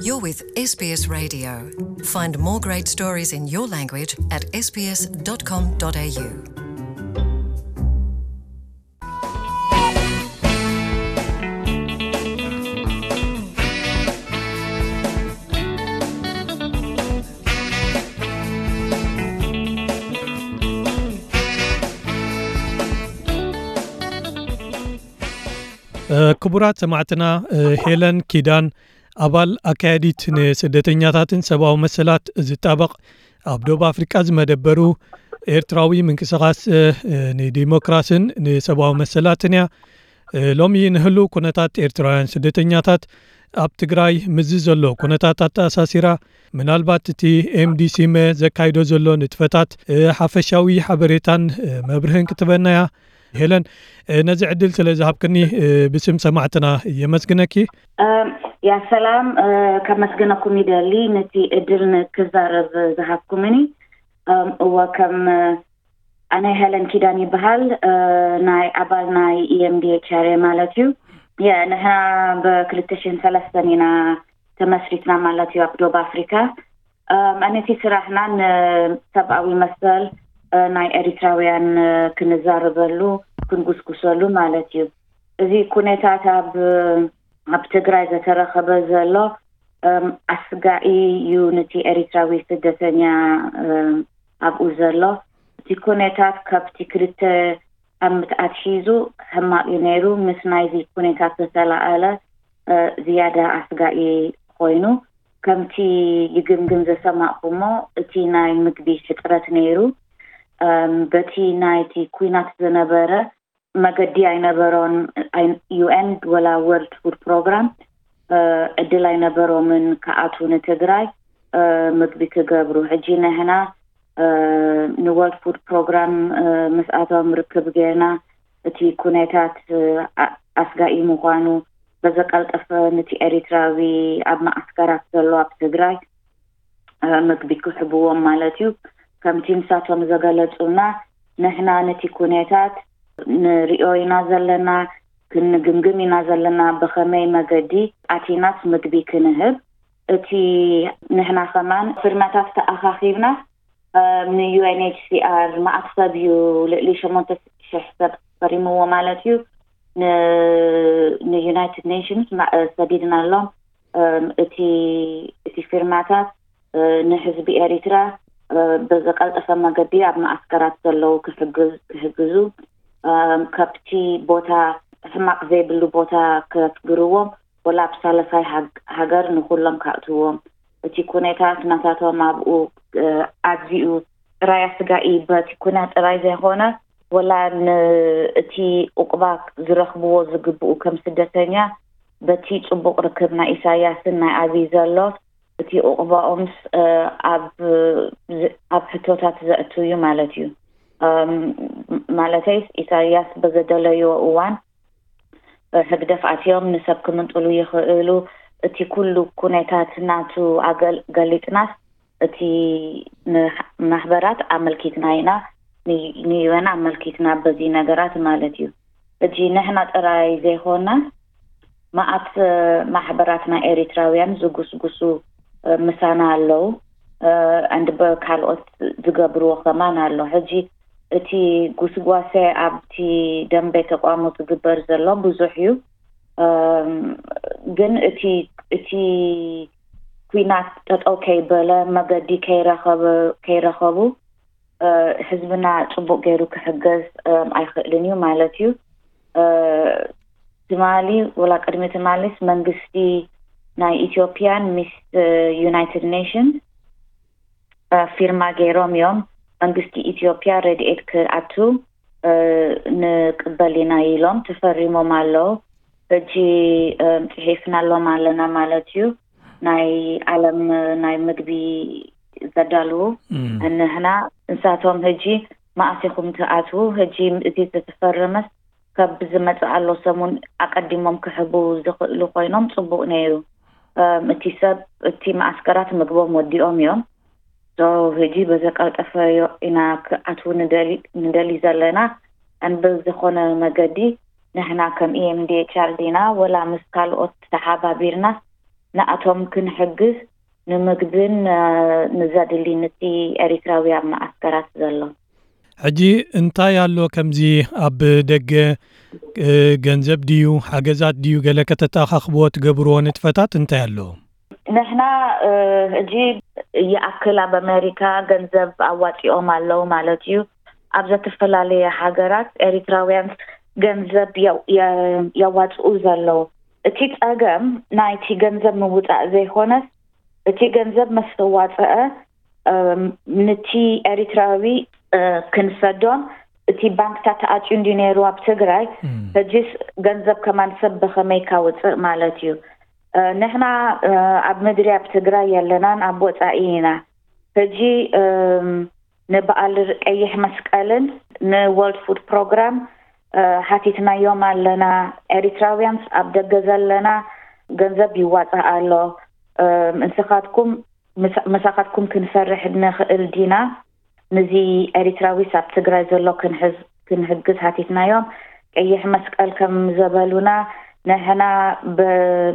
You're with S B S Radio. Find more great stories in your language at S B S dot com dot A U. ክቡራት ሰማዕትና፣ ሄለን ኪዳን፣ ኣባል ኣካያዲት ንስደተኛታትን ሰብኣዊ መሰላት ዝጣበቕ፣ ኣብ ደቡብ ኣፍሪቃ ዝመደበሩ ኤርትራዊ ምንቅስቓስ ንዲሞክራስን ንሰብኣዊ መሰላትን እያ። ሎሚ ንህሉ ኩነታት ኤርትራውያን ስደተኛታት ኣብ ትግራይ ምስዚ ዘሎ ኩነታት ኣተኣሳሲራ፣ ምናልባት እቲ ኤምዲሲመ ዘካይዶ ዘሎ ንጥፈታት ሓፈሻዊ ሓበሬታን መብርህን ክትበና እያ። ሄለን፣ ነዚ ዕድል ስለ ዝሃብክኒ ብስም ሰማዕትና የመስግነኪ። ያ ሰላም፣ ከመስግነኩም ይደሊ ነቲ እድል ንክዛረብ ዝሃብኩምኒ። እወ፣ ከም ኣነ ሄለን ኪዳን ይበሃል። ናይ ኣባል ናይ ኢኤምዲኤችኣር ማለት እዩ። ንሕና ብክልተ ሽሕን ሰለስተን ኢና ተመስሪትና ማለት እዩ ኣብ ደቡብ ኣፍሪካ። ኣነቲ ስራሕና ንሰብኣዊ መሰል ናይ ኤሪትራውያን ክንዛረበሉ ክንጉስጉሰሉ ማለት እዩ። እዚ ኩነታት ኣብ ኣብ ትግራይ ዘተረኸበ ዘሎ ኣስጋኢ እዩ። ነቲ ኤሪትራዊ ስደተኛ ኣብኡ ዘሎ እቲ ኩነታት ካብቲ ክልተ ዓመት ኣትሒዙ ሕማቕ እዩ ነይሩ። ምስ ናይዚ ኩነታት ዝተላኣለ ዝያዳ ኣስጋኢ ኮይኑ፣ ከምቲ ይግምግም ዘሰማዕኩሞ፣ እቲ ናይ ምግቢ ሕፅረት ነይሩ። በቲ ናይቲ ኩናት ዝነበረ መገዲ ኣይነበሮን። ዩኤን ወላ ወርልድ ፉድ ፕሮግራም ዕድል ኣይነበሮምን ክኣትዉ ንትግራይ ምግቢ ክገብሩ። ሕጂ ንሕና ንወርልድ ፉድ ፕሮግራም ምስኣቶም ርክብ ጌርና፣ እቲ ኩነታት ኣስጋኢ ምዃኑ በዘቀልጠፈ ነቲ ኤሪትራዊ ኣብ ማዓስከራት ዘሎ ኣብ ትግራይ ምግቢ ክሕብዎም ማለት እዩ። ከምቲ ንሳቶም ዘገለጹና፣ ንሕና ነቲ ኩነታት ንሪኦ ኢና ዘለና፣ ክንግምግም ኢና ዘለና፣ ብኸመይ መገዲ ኣቲናስ ምግቢ ክንህብ። እቲ ንሕና ከማን ፍርመታት ተኣኻኺብና ንዩኤንኤችሲኣር መኣት ሰብ እዩ፣ ልዕሊ ሸሞንተ ሽሕ ሰብ ፈሪምዎ ማለት እዩ። ንዩናይትድ ኔሽንስ ሰዲድናሎም። እቲ እቲ ፊርማታት ንህዝቢ ኤሪትራ ብዝቀልጠፈ መገዲ ኣብ ማዓስከራት ዘለዉ ክሕግዙ፣ ካብቲ ቦታ ሕማቕ ዘይብሉ ቦታ ከስግርዎም፣ ወላ ኣብ ሳልሳይ ሃገር ንኩሎም ከእትዎም። እቲ ኩነታት ናታቶም ኣብኡ ኣዝዩ ጥራይ ኣስጋኢ፣ በቲ ኩናት ጥራይ ዘይኮነ፣ ወላ ንእቲ ኡቅባ ዝረኽብዎ ዝግብኡ ከም ስደተኛ፣ በቲ ጽቡቕ ርክብ ናይ ኢሳያስን ናይ ኣብይ ዘሎ፣ እቲ ኡቅባኦምስ ኣብ ኣብ ሕቶታት ዘእቱ እዩ ማለት እዩ። ማለተይስ፣ ኢሳያስ በዘደለይዎ እዋን ህግደፍ ኣትዮም ንሰብ ክምንጥሉ ይኽእሉ። እቲ ኩሉ ኩነታት ናቱ ኣገል- ገሊጽናስ፣ እቲ ንማሕበራት ኣመልኪትና ኢና፣ ንዩኤን ኣመልኪትና በዚ ነገራት ማለት እዩ። ሕጂ ንሕና ጥራይ ዘይኮና፣ መኣት ማሕበራት ናይ ኤሪትራውያን ዝጉስጉሱ ምሳና ኣለዉ። ኣንድ ካልኦት ዝገብርዎ ከማን ኣሎ። ሕጂ እቲ ጉስጓሰ ኣብቲ ደንበ ተቋሙ ዝግበር ዘሎ ብዙሕ እዩ። ግን እቲ እቲ ኩናት ጠጠው ከይበለ፣ መገዲ ከይረኸበ- ከይረኸቡ፣ ህዝብና ጽቡቕ ገይሩ ክሕገዝ ኣይኽእልን እዩ ማለት እዩ። ትማሊ፣ ወላ ቅድሚ ትማሊስ፣ መንግስቲ ናይ ኢትዮጵያን ምስ ዩናይትድ ኔሽንስ ፊርማ ገይሮም እዮም። መንግስቲ ኢትዮጵያ ረድኤት ክኣቱ ንቅበል ኢና ኢሎም ተፈሪሞም ኣለዉ። ሕጂ ጽሒፍናሎም ኣለና ማለት እዩ። ናይ ዓለም ናይ ምግቢ ዘዳልዉ፣ ንሕና፣ ንሳቶም ሕጂ መኣስ ኢኹም ትኣትዉ? ሕጂ እቲ ዝተፈረመስ ካብ ዝመጽእ ኣሎ ሰሙን ኣቀዲሞም ክሕቡ ዝኽእሉ ኮይኖም ጽቡቕ ነይሩ። እቲ ሰብ፣ እቲ መኣስከራት ምግቦም ወዲኦም እዮም። ሕጂ በዘቀልጠፈ ኢና ክኣትዉ ንደሊ ዘለና። ኣንበ ዝኾነ መገዲ ንሕና ከም ኢኤምዲኤችኣር ዲና ወላ ምስ ካልኦት ተሓባቢርና ንኣቶም ክንሕግዝ፣ ንምግብን ንዘድሊ ንቲ ኤሪትራዊ ኣብ መዓስከራት ዘሎ። ሕጂ እንታይ ኣሎ ከምዚ ኣብ ደገ ገንዘብ ድዩ ሓገዛት ድዩ ገለ ከተተኣኻኽብዎ ትገብርዎ ንጥፈታት እንታይ ኣሎ? ንሕና ሕጂ ይኣክል ኣብ ኣሜሪካ ገንዘብ ኣዋፂኦም ኣለዉ ማለት እዩ። ኣብ ዘተፈላለየ ሃገራት ኤሪትራውያን ገንዘብ የዋፅኡ ዘለዉ። እቲ ፀገም ናይቲ ገንዘብ ምውፃእ ዘይኮነስ እቲ ገንዘብ መስተዋፅአ ንቲ ኤሪትራዊ ክንሰዶም እቲ ባንክታት ተኣጭዩ እንዲ ነይሩ ኣብ ትግራይ። ሕጂስ ገንዘብ ከማን ሰብ ብኸመይ ካውፅእ ማለት እዩ። ንሕና ኣብ ምድሪ ኣብ ትግራይ የለናን ኣብ ወፃኢ ኢና። ሕጂ ንበዓል ቀይሕ መስቀልን ንወርልድ ፉድ ፕሮግራም ሓቲትናዮም ኣለና። ኤሪትራውያንስ ኣብ ደገ ዘለና ገንዘብ ይዋፃእ ኣሎ። ንስኻትኩም ምሳኻትኩም ክንሰርሕ ንኽእል ዲና? ንዚ ኤሪትራዊስ ኣብ ትግራይ ዘሎ ክንሕዝ ክንሕግዝ ሓቲትናዮም። ቀይሕ መስቀል ከም ዘበሉና ንሕና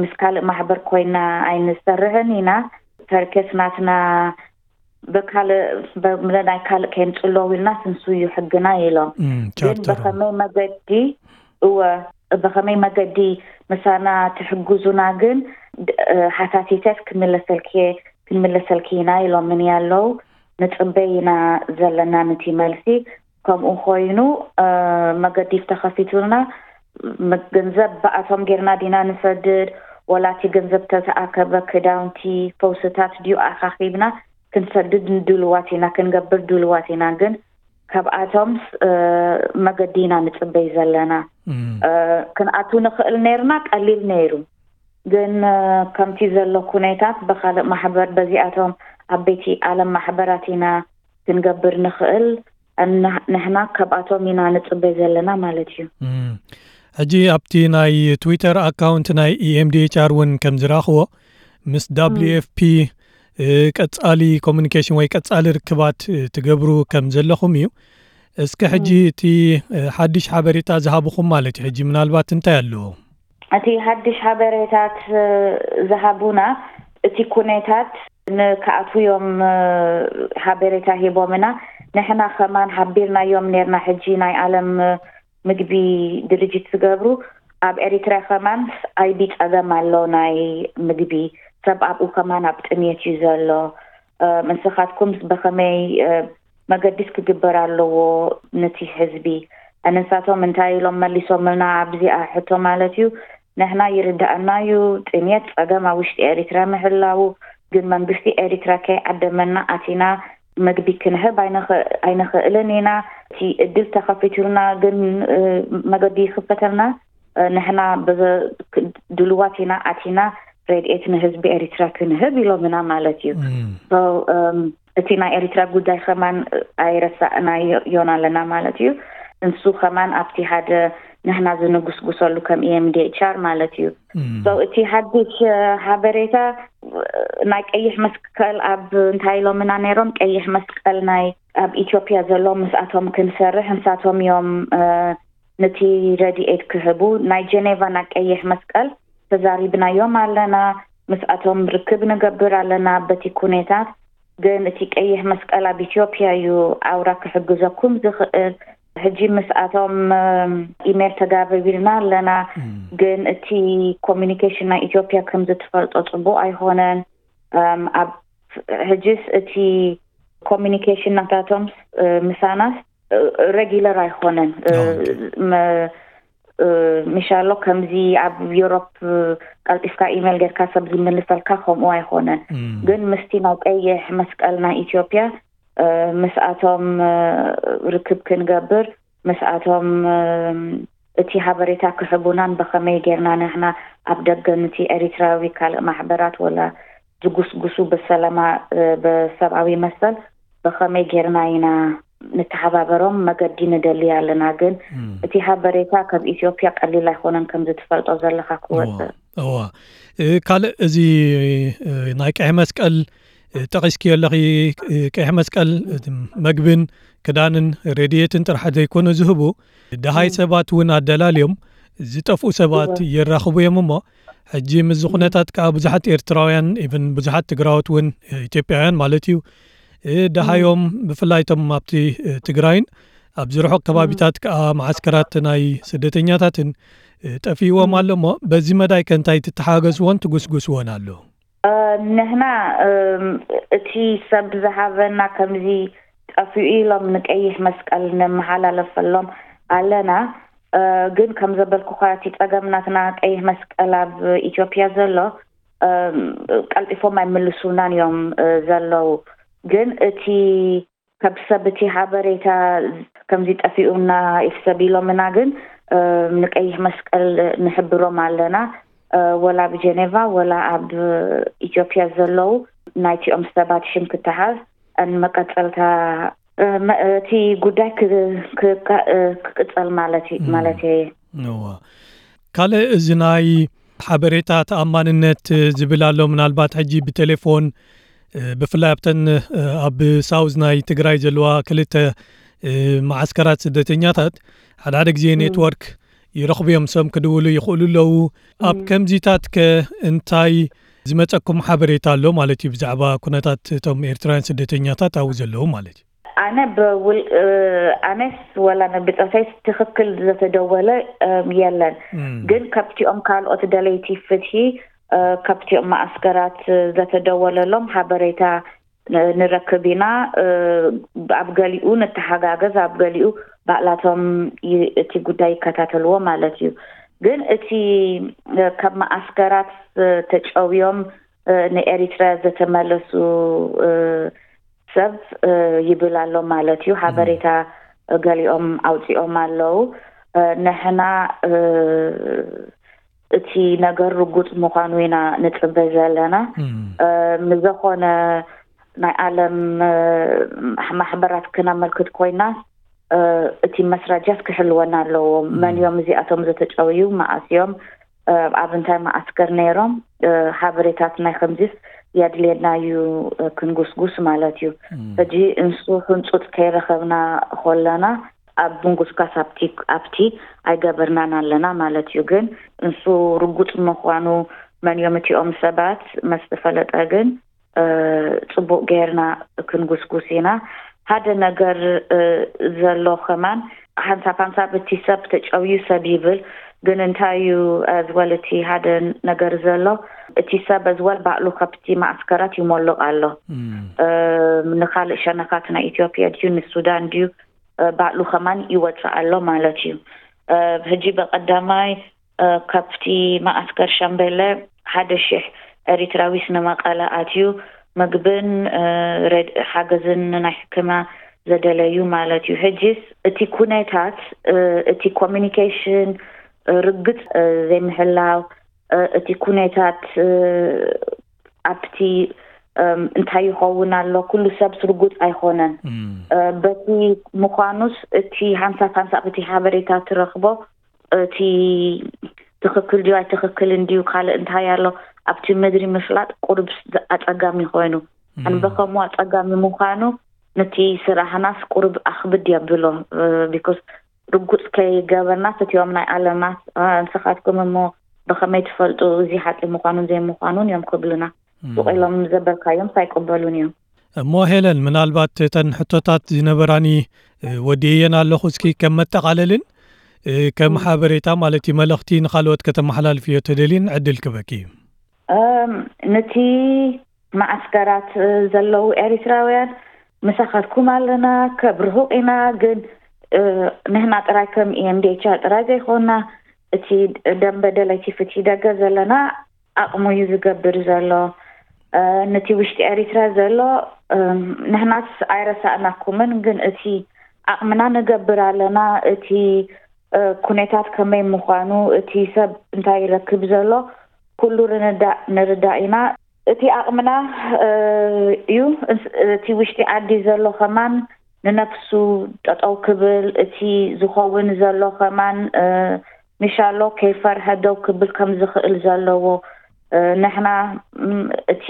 ምስ ካልእ ማሕበር ኮይና ኣይንሰርሕን ኢና። ተርኬስ ናትና ብካልእ ናይ ካልእ ከይንፅለው ኢልና ስንሱ እዩ ሕግና ኢሎም። ግን ብኸመይ መገዲ እወ ብኸመይ መገዲ ምሳና ትሕግዙና ግን ሓታቲተስ ክምለሰልኪ ክንምለሰልኪ ኢና ኢሎምኒ ኣለዉ። ንፅበይ ኢና ዘለና ንቲ መልሲ። ከምኡ ኮይኑ መገዲ ተኸፊቱልና ገንዘብ ብኣቶም ጌርና ዲና ንሰድድ ወላቲ ገንዘብ ተተኣከበ ክዳውንቲ ፈውስታት ድዩ ኣኻኺብና ክንሰድድ ንድልዋት ኢና ክንገብር ድልዋት ኢና ግን ካብኣቶምስ መገዲ ኢና ንፅበይ ዘለና። ክንኣቱ ንኽእል ነይርና ቀሊል ነይሩ። ግን ከምቲ ዘሎ ኩነታት ብካልእ ማሕበር በዚኣቶም ዓበይቲ ዓለም ማሕበራት ኢና ክንገብር ንኽእል። ንሕና ካብኣቶም ኢና ንፅበይ ዘለና ማለት እዩ። ሕጂ ኣብቲ ናይ ትዊተር ኣካውንት ናይ ኢኤምዲኤችኣር እውን ከም ዝረኽቦ ምስ ዳብሊዩ ኤፍፒ ቀጻሊ ኮሚኒኬሽን ወይ ቀጻሊ ርክባት ትገብሩ ከም ዘለኹም እዩ። እስከ ሕጂ እቲ ሓድሽ ሓበሬታ ዝሃብኹም ማለት እዩ ሕጂ ምናልባት እንታይ ኣለዎ? እቲ ሓድሽ ሓበሬታት ዝሃቡና እቲ ኩነታት ንክኣትውዮም ሓበሬታ ሂቦምና። ንሕና ከማን ሓቢርናዮም ነርና። ሕጂ ናይ ዓለም ምግቢ ድርጅት ዝገብሩ ኣብ ኤሪትራ ከማን ኣይቢ ጸገም ኣሎ። ናይ ምግቢ ሰብ ኣብኡ ከማን ኣብ ጥምየት እዩ ዘሎ። ንስኻትኩም ብኸመይ መገዲስ ክግበር ኣለዎ ነቲ ህዝቢ? ንሳቶም እንታይ ኢሎም መሊሶምልና ኣብዚኣ ሕቶ ማለት እዩ። ንሕና ይርዳእና እዩ ጥምየት ጸገም ኣብ ውሽጢ ኤሪትራ ምህላዉ ግን መንግስቲ ኤሪትራ ከይዓደመና ኣቲና መግቢ ክንህብ ኣይንኽእልን ኢና። እቲ እድል ተኸፊቱልና ግን መገዲ ይኽፈተልና ንሕና ድልዋት ኢና ኣቲና ረድኤት ንህዝቢ ኤሪትራ ክንህብ ኢሎምና ማለት እዩ። እቲ ናይ ኤሪትራ ጉዳይ ከማን ኣይረሳእናዮን ኣለና ማለት እዩ። እንሱ ከማን ኣብቲ ሓደ ንሕና ዝንጉስጉሰሉ ከም ኢኤምዲኤችኣር ማለት እዩ። እቲ ሓድሽ ሓበሬታ ናይ ቀይሕ መስቀል ኣብ እንታይ ኢሎምና ነይሮም ቀይሕ መስቀል ናይ ኣብ ኢትዮጵያ ዘሎ ምስኣቶም ክንሰርሕ እንሳቶም እዮም ነቲ ረድኤት ክህቡ ናይ ጀኔቫ ናይ ቀይሕ መስቀል ተዛሪብናዮም ኣለና። ምስኣቶም ርክብ ንገብር ኣለና በቲ ኩነታት። ግን እቲ ቀይሕ መስቀል ኣብ ኢትዮጵያ እዩ ኣውራ ክሕግዘኩም ዝኽእል። ሕጂ ምስኣቶም ኢሜል ተጋብቢልና ኣለና። ግን እቲ ኮሚኒኬሽን ናይ ኢትዮጵያ ከም ዝትፈልጦ ፅቡቅ ኣይኮነን። ኣብ ሕጂስ እቲ ኮሚኒኬሽን ናታቶም ምሳናስ ሬጊለር ኣይኮነን። ምሻሎ ከምዚ ኣብ ዩሮፕ ቀልጢፍካ ኢሜል ጌርካ ሰብ ዝምልሰልካ ከምኡ ኣይኮነን። ግን ምስቲ ናይ ቀይሕ መስቀል ናይ ኢትዮጵያ ምስኣቶም ርክብ ክንገብር ምስኣቶም እቲ ሓበሬታ ክሕቡናን ብኸመይ ጌርና ንሕና ኣብ ደገ ንቲ ኤሪትራዊ ካልእ ማሕበራት ወላ ዝጉስጉሱ ብሰላማ ብሰብኣዊ መሰል ብኸመይ ጌርና ኢና ንተሓባበሮም መገዲ ንደሊ ኣለና። ግን እቲ ሓበሬታ ካብ ኢትዮጵያ ቀሊል ኣይኮነን ከም ዝትፈልጦ ዘለኻ ክወፅእ። እዋ ካልእ እዚ ናይ ቀሒ መስቀል ጠቒስኪ ኣለኺ። ቀሒ መስቀል መግብን ክዳንን ረድኤትን ጥራሕ ዘይኮነ ዝህቡ ደሃይ ሰባት እውን ኣደላልዮም ዝጠፍኡ ሰባት የራኽቡ እዮም እሞ ሕጂ ምስዚ ኩነታት ከዓ ብዙሓት ኤርትራውያን፣ ኢቨን ብዙሓት ትግራዎት እውን፣ ኢትዮጵያውያን ማለት እዩ፣ ደሃዮም ብፍላይ እቶም ኣብቲ ትግራይን ኣብዚ ርሑቕ ከባቢታት ከዓ መዓስከራት ናይ ስደተኛታትን ጠፊእዎም ኣሎ እሞ፣ በዚ መዳይ ከ እንታይ ትተሓገዝዎን ትጉስጉስዎን ኣሎ? ንሕና እቲ ሰብ ዝሃበና ከምዚ ጠፊኡ ኢሎም ንቀይሕ መስቀል ነመሓላለፈሎም ኣለና። ግን ከም ዘበልኩኻ እቲ ጸገም ናትና ቀይሕ መስቀል ኣብ ኢትዮጵያ ዘሎ ቀልጢፎም ኣይምልሱልናን እዮም ዘለዉ። ግን እቲ ካብ ሰብ እቲ ሓበሬታ ከምዚ ጠፊኡና ኢፍ ሰብ ኢሎምና ግን ንቀይሕ መስቀል ንሕብሮም ኣለና። ወላ ኣብ ጀኔቫ ወላ ኣብ ኢትዮጵያ ዘለዉ ናይቲኦም ሰባት ሽም ክተሓዝ ን መቀጸልታ እቲ ጉዳይ ክቅጸል ማለት ማለት እየ። ካልእ እዚ ናይ ሓበሬታ ተኣማንነት ዝብል ኣሎ። ምናልባት ሕጂ ብቴሌፎን ብፍላይ ኣብተን ኣብ ሳውዝ ናይ ትግራይ ዘለዋ ክልተ መዓስከራት ስደተኛታት ሓደ ሓደ ግዜ ኔትወርክ ይረኽቡ እዮም፣ ሰብ ክድውሉ ይኽእሉ ኣለዉ። ኣብ ከምዚታት ከ እንታይ ዝመጸኩም ሓበሬታ ኣሎ ማለት እዩ ብዛዕባ ኩነታት እቶም ኤርትራውያን ስደተኛታት ኣብኡ ዘለዉ ማለት እዩ? ኣነ ብውል ኣነስ ወላ ብጸፈይ ትኽክል ዘተደወለ የለን። ግን ከብቲኦም ካልኦት ደለይቲ ፍትሒ ከብቲኦም ማኣስከራት ዘተደወለሎም ሓበሬታ ንረክብ ኢና። ኣብ ገሊኡ ንተሓጋገዝ፣ ኣብ ገሊኡ ባዕላቶም እቲ ጉዳይ ይከታተልዎ ማለት እዩ። ግን እቲ ካብ ማኣስከራት ተጨውዮም ንኤሪትራ ዘተመለሱ ሰብ ይብል ኣሎ ማለት እዩ። ሓበሬታ ገሊኦም ኣውፂኦም ኣለዉ። ንሕና እቲ ነገር ርጉፅ ምዃኑ ኢና ንፅበ ዘለና። ምዘኾነ ናይ ዓለም ማሕበራት ክነመልክት ኮይና እቲ መስራጃት ክሕልወና ኣለዎ። መን እዮም እዚኣቶም ዝተጨውዩ፣ መኣስ እዮም፣ ኣብ እንታይ መዓስከር ነይሮም፣ ሓበሬታት ናይ ከምዚስ የድልየና እዩ ክንጉስጉስ ማለት እዩ። ሕጂ እንሱ ሕንፁፅ ከይረኸብና ከለና ኣብ ምንጉስጋስ ኣብቲ ኣብቲ ኣይገበርናን ኣለና ማለት እዩ። ግን እንሱ ርጉፅ ምዃኑ መን እዮም እቲኦም ሰባት መስ ተፈለጠ ግን ፅቡቅ ገይርና ክንጉስጉስ ኢና። ሓደ ነገር ዘሎ ከማን ሓንሳብ ሓንሳብ እቲ ሰብ ተጨውዩ ሰብ ይብል። ግን እንታይ እዩ ኣዝወል እቲ ሓደ ነገር ዘሎ እቲ ሰብ ኣዝወል ባዕሉ ከብቲ ማእስከራት ይሞልቕ ኣሎ። ንካልእ ሸነኻት ናይ ኢትዮጵያ ድዩ ንሱዳን ድዩ ባዕሉ ከማን ይወፅእ ኣሎ ማለት እዩ። ሕጂ በቀዳማይ ከብቲ ማእስከር ሻምበለ ሓደ ሽሕ ኤሪትራዊስ ንመቐለ ኣትዩ ምግብን ሓገዝን ናይ ሕክምና ዘደለዩ ማለት እዩ። ሕጂስ እቲ ኩነታት እቲ ኮሚኒኬሽን ርግፅ ዘይምሕላው እቲ ኩነታት ኣብቲ እንታይ ይኸውን ኣሎ ኩሉ ሰብ ስርጉፅ ኣይኮነን። በቲ ምዃኑስ እቲ ሓንሳብ ሓንሳብ እቲ ሓበሬታ ትረኽቦ እቲ ትኽክል ድዩ ኣይትኽክልን ድዩ ካልእ እንታይ ኣሎ ኣብቲ ምድሪ ምፍላጥ ቁሩብ ኣፀጋሚ ኮይኑ ኣንበኸሙ ኣፀጋሚ ምዃኑ ነቲ ስራሕናስ ቁሩብ ኣኽብድ የብሎ። ቢኮስ ርጉፅ ከይገበርናስ እቲኦም ናይ ዓለምናስ ንስኻትኩም እሞ ብኸመይ ትፈልጡ እዚ ሓቂ ምዃኑን ዘይምዃኑን እዮም ክብሉና። ሱቕ ኢሎም ዘበልካዮም ኣይቅበሉን እዮም። እሞ ሄለን ምናልባት እተን ሕቶታት ዝነበራኒ ወዲእየን ኣለኹ። እስኪ ከም መጠቓለልን ከም ሓበሬታ ማለት እዩ መልእኽቲ ንኻልኦት ከተመሓላልፍዮ ተደልይን ዕድል ክበኪ እዩ። ነቲ ማዓስከራት ዘለዉ ኤሪትራውያን ምሳኻትኩም ኣለና፣ ከብርሁቕ ኢና፣ ግን ንሕና ጥራይ ከም ኢኤምዲኤችኣር ጥራይ ዘይኮና እቲ ደንበ ደለይቲ ፍትሒ ደገ ዘለና ኣቕሙ እዩ ዝገብር ዘሎ። ነቲ ውሽጢ ኤሪትራ ዘሎ ንሕናስ ኣይረሳእናኩምን፣ ግን እቲ ዓቕምና ንገብር ኣለና። እቲ ኩነታት ከመይ ምዃኑ፣ እቲ ሰብ እንታይ ይረክብ ዘሎ ኩሉ ርንዳእ ንርዳእ ኢና። እቲ ዓቕምና እዩ። እቲ ውሽጢ ዓዲ ዘሎ ከማን ንነፍሱ ጠጠው ክብል፣ እቲ ዝኸውን ዘሎ ከማን ምሻሎ ከይፈርሀ ደው ክብል ከም ዝኽእል ዘለዎ ንሕና እቲ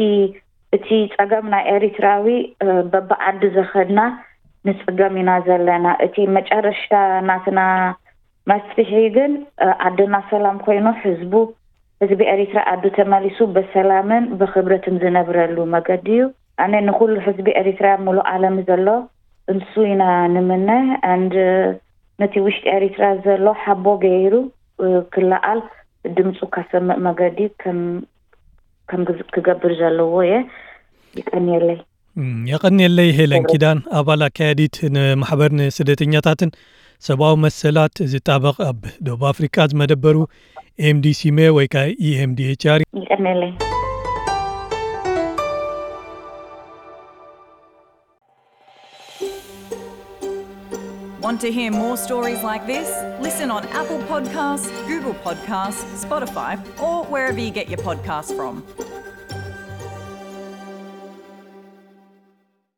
እቲ ጸገም ናይ ኤሪትራዊ በብዓዲ ዘኸድና ንጽገም ኢና ዘለና። እቲ መጨረሽታ ናትና መፍትሒ ግን ዓድና ሰላም ኮይኑ ህዝቡ ህዝቢ ኤሪትራ ኣዱ ተመሊሱ በሰላምን በክብረትን ዝነብረሉ መገዲ እዩ። ኣነ ንኩሉ ህዝቢ ኤሪትራ ሙሉእ ዓለም ዘሎ እንሱ ኢና ንምነ። And ነቲ ውሽጢ ኤሪትራ ዘሎ ሓቦ ገይሩ ክለዓል ድምፁ ካሰምእ መገዲ ከም ከም ክገብር ዘለዎ እየ። ይቀንየለይ። የቐንየለይ። ሄለን ኪዳን፣ ኣባል ኣካያዲት ንማሕበር ንስደተኛታትን ሰብኣዊ መሰላት ዝጣበቕ ኣብ ደቡብ ኣፍሪቃ ዝመደበሩ ኤምዲሲመ ወይ ከዓ ኢኤምዲኤችኣር። ይቀንየለይ። Want to hear more stories like this? Listen on Apple Podcasts, Google Podcasts, Spotify, or wherever you get your podcasts from.